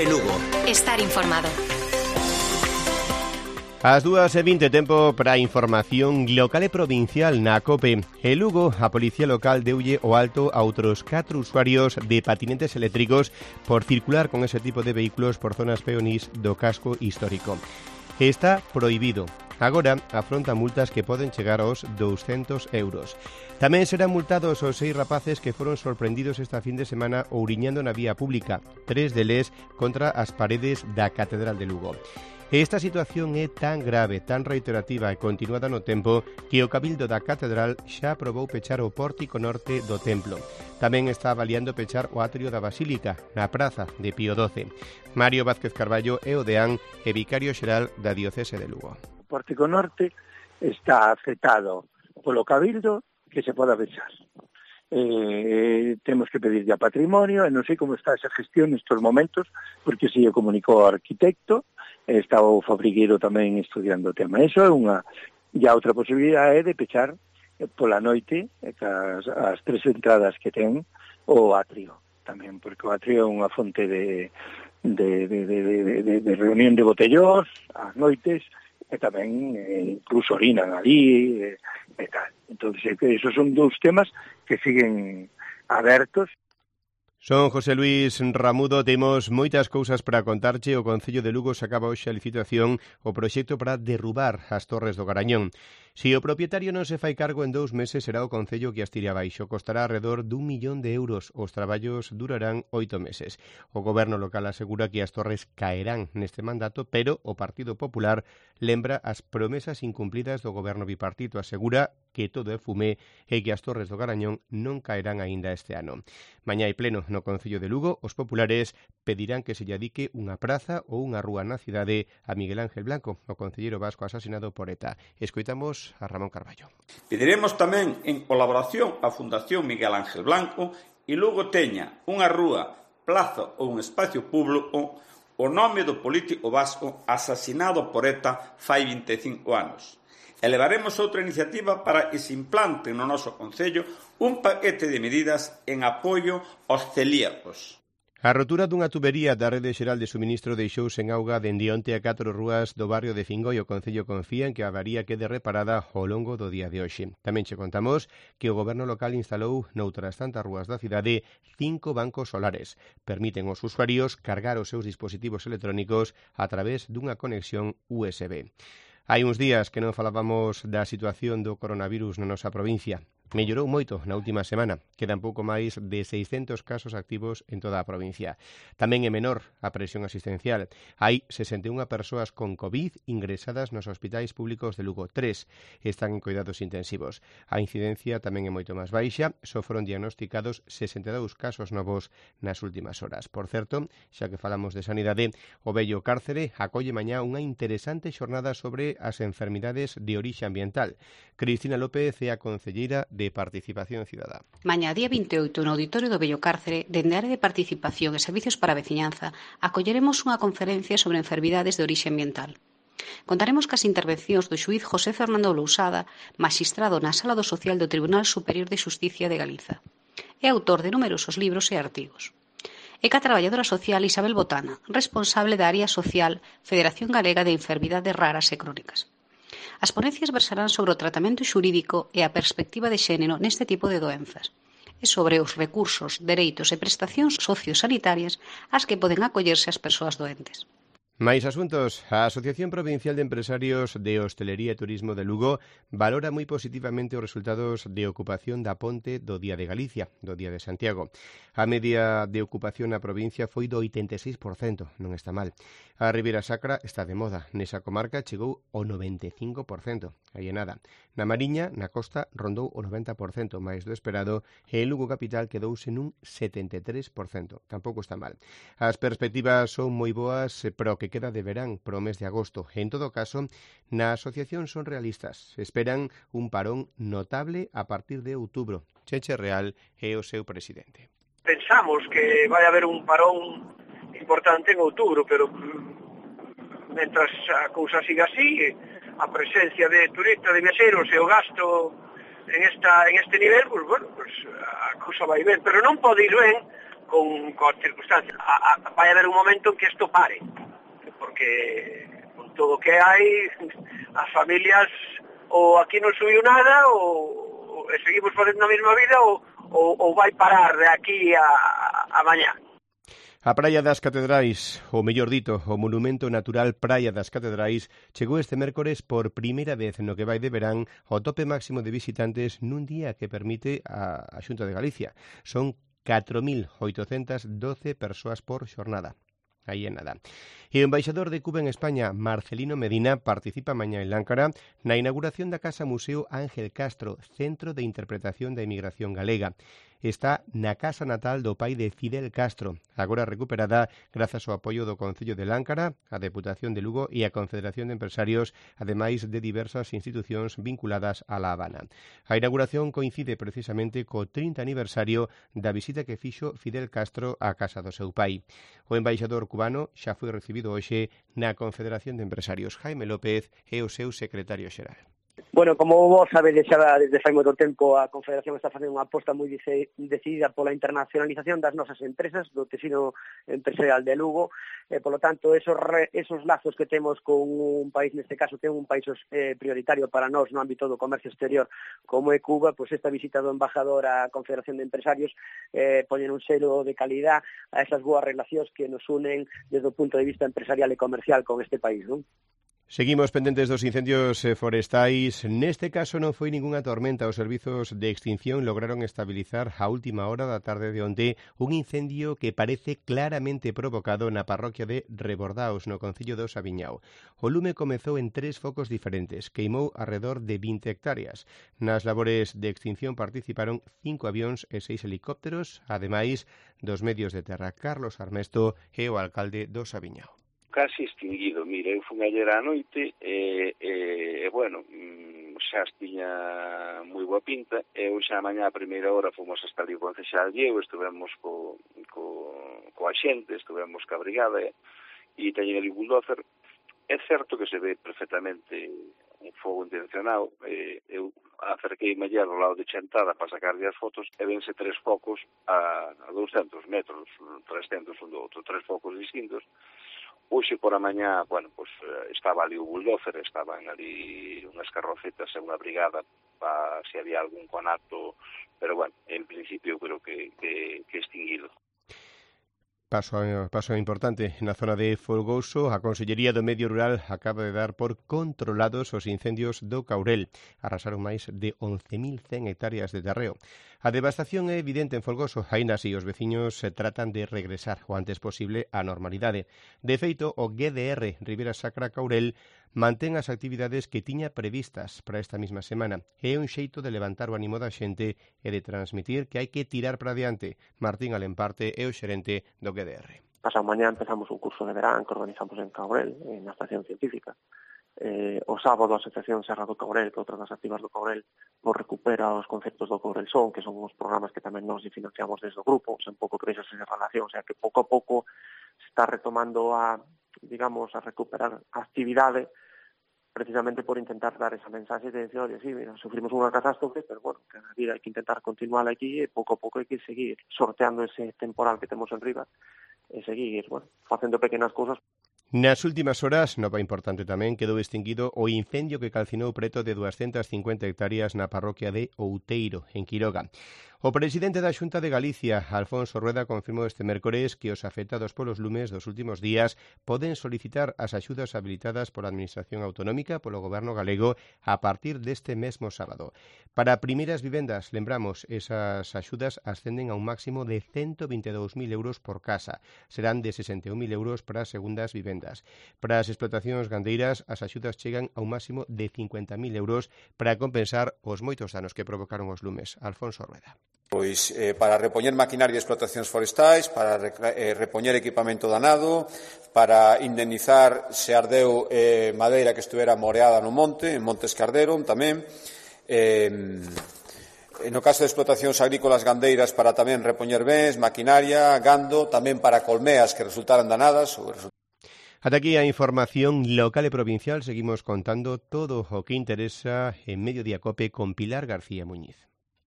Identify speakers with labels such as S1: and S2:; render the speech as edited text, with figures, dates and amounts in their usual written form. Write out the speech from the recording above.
S1: COPE Lugo.
S2: Estar informado.
S3: As 2:20, tempo para a información local e provincial na COPE. En Lugo, a Policía Local deulle o alto a outros 4 usuarios de patinetes eléctricos por circular con ese tipo de vehículos por zonas peonís do casco histórico. Está prohibido. Agora afronta multas que poden chegar aos 200 euros. Tamén serán multados os 6 rapaces que foron sorprendidos esta fin de semana ouriñando na vía pública, 3 deles contra as paredes da Catedral de Lugo. Esta situación é tan grave, tan reiterativa e continuada no tempo que o Cabildo da Catedral xa aprobou pechar o pórtico norte do templo. Tamén está avaliando pechar o atrio da Basílica, na praza de Pío XII. Mario Vázquez Carballo é o deán e vicario xeral da diocese de Lugo.
S4: O pórtico norte está aceptado polo Cabildo que se poda pechar. Temos que pedir a patrimonio e non sei como está esa gestión nestes momentos, porque se lle comunicou ao arquitecto, está o fabrigueiro tamén estudiando o tema. Eso é unha. E a outra posibilidade é de pechar pola noite as 3 entradas que ten o atrio tamén, porque o atrio é unha fonte de reunión de botellós ás noites, e tamén incluso orinan ali e tal. Entón, esos son 2 temas que siguen abertos.
S3: Son José Luis Ramudo, temos moitas cousas para contarche. O Concello de Lugo sacaba hoxe a licitación o proxecto para derrubar as torres do Garañón. Se o propietario non se fai cargo en 2 meses, será o Concello que as tire abaixo. Costará alrededor d'1 millón de euros. Os traballos durarán 8 meses. O goberno local asegura que as torres caerán neste mandato, pero o Partido Popular lembra as promesas incumplidas do goberno bipartito. Asegura que todo é fumé e que as torres do Garañón non caerán aínda este ano. Mañá hai pleno no Concello de Lugo. Os populares pedirán que se lle adique unha praza ou unha rúa na cidade a Miguel Ángel Blanco, o concelleiro vasco asasinado por ETA. Escoitamos a Ramón Carballo.
S5: Pediremos tamén en colaboración a Fundación Miguel Ángel Blanco e Lugo teña unha rúa, plaza ou un espacio público o nome do político vasco asasinado por ETA fai 25 anos. Elevaremos outra iniciativa para que se implante no noso Concello un paquete de medidas en apoio aos celíacos.
S3: A rotura dunha tubería da Rede Xeral de Suministro deixou sen auga dende onte a 4 rúas do barrio de Fingoi. O Concello confía en que a avaría quede reparada ao longo do día de hoxe. Tamén che contamos que o goberno local instalou noutras tantas rúas da cidade 5 bancos solares. Permiten aos usuarios cargar os seus dispositivos electrónicos a través dunha conexión USB. Hai uns días que non falábamos da situación do coronavirus na nosa provincia. Mellorou moito na última semana. Quedan pouco máis de 600 casos activos en toda a provincia. Tamén é menor a presión asistencial. Hai 61 persoas con COVID ingresadas nos hospitais públicos de Lugo. 3 están en cuidados intensivos. A incidencia tamén é moito máis baixa. Só foron diagnosticados 62 casos novos nas últimas horas. Por certo, xa que falamos de sanidade, o vello Cárcere acolle mañá unha interesante xornada sobre as enfermidades de orixe ambiental. Cristina López é a concelleira de Participación Cidadá.
S6: Mañá, día 28, no Auditorio do Vello Cárcere, dende a área de Participación e Servicios para a Veciñanza, acolleremos unha conferencia sobre enfermidades de orixe ambiental. Contaremos cas intervencións do xuíz José Fernando Lousada, maxistrado na Sala do Social do Tribunal Superior de Xusticia de Galiza. É autor de numerosos libros e artigos. É ca traballadora social Isabel Botana, responsable da área social Federación Galega de Enfermidades Raras e Crónicas. As ponencias versarán sobre o tratamento xurídico e a perspectiva de xénero neste tipo de doenzas e sobre os recursos, dereitos e prestacións sociosanitarias ás que poden acollerse as persoas doentes.
S3: Mais asuntos. A Asociación Provincial de Empresarios de Hostelería e Turismo de Lugo valora moi positivamente os resultados de ocupación da ponte do Día de Galicia, do Día de Santiago. A media de ocupación na provincia foi do 86%, non está mal. A Ribeira Sacra está de moda. Nesa comarca chegou ao 95%, aí é nada. Na Mariña, na costa, rondou o 90%, máis do esperado, e en Lugo capital quedouse nun 73%. Tampouco está mal. As perspectivas son moi boas para o que queda de verán pro mes de agosto. En todo caso, na asociación son realistas. Esperan un parón notable a partir de outubro. Cheche Real é o seu presidente.
S7: Pensamos que vai haber un parón importante en outubro, pero mentras a cousa siga así, a presencia de turistas, de viaxeiros e o gasto en este nivel, pues bueno, pues a cousa vai ben, pero non pode ir ben coas circunstancias. Vai haber un momento en que isto pare, porque con todo o que hai, as familias ou aquí non subiu nada ou seguimos facendo a mesma vida ou vai parar de aquí a mañá.
S3: A Praia das Catedrais, ou mellor dito, o Monumento Natural Praia das Catedrais, chegou este mércores por primeira vez no que vai de verán ao tope máximo de visitantes nun día que permite a Xunta de Galicia. Son 4.812 persoas por xornada. Aí é nada. E o embaixador de Cuba en España, Marcelino Medina, participa mañá en Láncara na inauguración da Casa Museo Ángel Castro, Centro de Interpretación da Emigración Galega. Está na casa natal do pai de Fidel Castro, agora recuperada grazas ao apoio do Concello de Láncara, a Deputación de Lugo e a Confederación de Empresarios, ademais de diversas institucións vinculadas a La Habana. A inauguración coincide precisamente co 30 aniversario da visita que fixo Fidel Castro á casa do seu pai. O embaixador cubano xa foi recibido hoxe na Confederación de Empresarios. Jaime López é o seu secretario xeral.
S1: Bueno, como vos sabedes xa desde fai moito tempo, a Confederación está facendo unha aposta moi decidida pola internacionalización das nosas empresas, do tecido empresarial de Lugo, e, polo tanto, esos lazos que temos con un país, neste caso, que é un país prioritario para nós no ámbito do comercio exterior, como é Cuba, pois esta visita do embajador á Confederación de Empresarios poñen un selo de calidad a esas boas relacións que nos unen desde o punto de vista empresarial e comercial con este país, non?
S3: Seguimos pendentes dos incendios forestais. Neste caso non foi ningunha tormenta. Os servizos de extinción lograron estabilizar a última hora da tarde de onte un incendio que parece claramente provocado na parroquia de Rebordaos, no concello do Sabiñao. O lume comezou en 3 focos diferentes. Queimou arredor de 20 hectáreas. Nas labores de extinción participaron 5 avións e 6 helicópteros, ademais dos medios de terra. Carlos Armesto é o alcalde do Sabiñao.
S2: Casi extinguido. Mira, eu fun ayer á noite bueno, xa tiña moi boa pinta, e xa mañá a primeira hora fomos hasta ali o concexal Diego, estivemos coa xente, estivemos ca brigada e teñen ali bulldozer. É certo que se ve perfectamente un fogo intencionado. Eu acerquei mellado ao lado de Chantada para sacarlle as fotos e vense 3 focos a 200 metros, 300 un do outro, 3 focos distintos. Hoxe por a mañá, bueno, pues estaba ali o bulldozer, estaban ali unhas carrocetas e unha brigada para se había algún conato, pero bueno, en principio creo que extinguido.
S3: Paso importante na zona de Folgoso. A Consellería do Medio Rural acaba de dar por controlados os incendios do Caurel. Arrasaron máis de 11.100 hectáreas de terreo. A devastación é evidente en Folgoso, aínda así os veciños se tratan de regresar o antes posible á normalidade. De feito, o GDR Ribera Sacra Caurel mantén as actividades que tiña previstas para esta mesma semana. É un xeito de levantar o ánimo da xente e de transmitir que hai que tirar para diante. Martín Alemparte é o xerente do GDR.
S8: Pasado mañá empezamos un curso de verán que organizamos en Caurel, na estación científica. O sábado a Asociación Serra do Caurel, que é outra das activas do Caurel, nos recupera os conceptos do Caurel Son, que son os programas que tamén nos financiamos desde o grupo, un pouco que vexas esa relación, o sea que pouco a pouco se está retomando a recuperar a actividade, precisamente por intentar dar esa mensaxe de decir, oye, sí, mira, sufrimos unha catástrofe, pero bueno, que a vida hai que intentar continuar aquí e pouco a pouco hai que seguir sorteando ese temporal que temos en riba e seguir, bueno, facendo pequenas cousas.
S3: Nas últimas horas, nova importante tamén, quedou extinguido o incendio que calcinou preto de 250 hectáreas na parroquia de Outeiro, en Quiroga. O presidente da Xunta de Galicia, Alfonso Rueda, confirmou este mércores que os afectados polos lumes dos últimos días poden solicitar as axudas habilitadas pola Administración Autonómica polo Goberno galego a partir deste mesmo sábado. Para primeiras vivendas, lembramos, esas axudas ascenden a un máximo de 122.000 euros por casa. Serán de 61.000 euros para as segundas vivendas. Para as explotacións gandeiras, as axudas chegan a un máximo de 50.000 euros para compensar os moitos danos que provocaron os lumes. Alfonso Rueda.
S9: Pois para repoñer maquinaria e explotacións forestais, para repoñer equipamento danado, para indemnizar se ardeu madeira que estuvera moreada no monte, en Montes que arderon tamén. No caso de explotacións agrícolas gandeiras, para tamén repoñer bens, maquinaria, gando, tamén para colmeas que resultaran danadas.
S3: Ata aquí a información local e provincial. Seguimos contando todo o que interesa en Mediodía Cope con Pilar García Muñiz.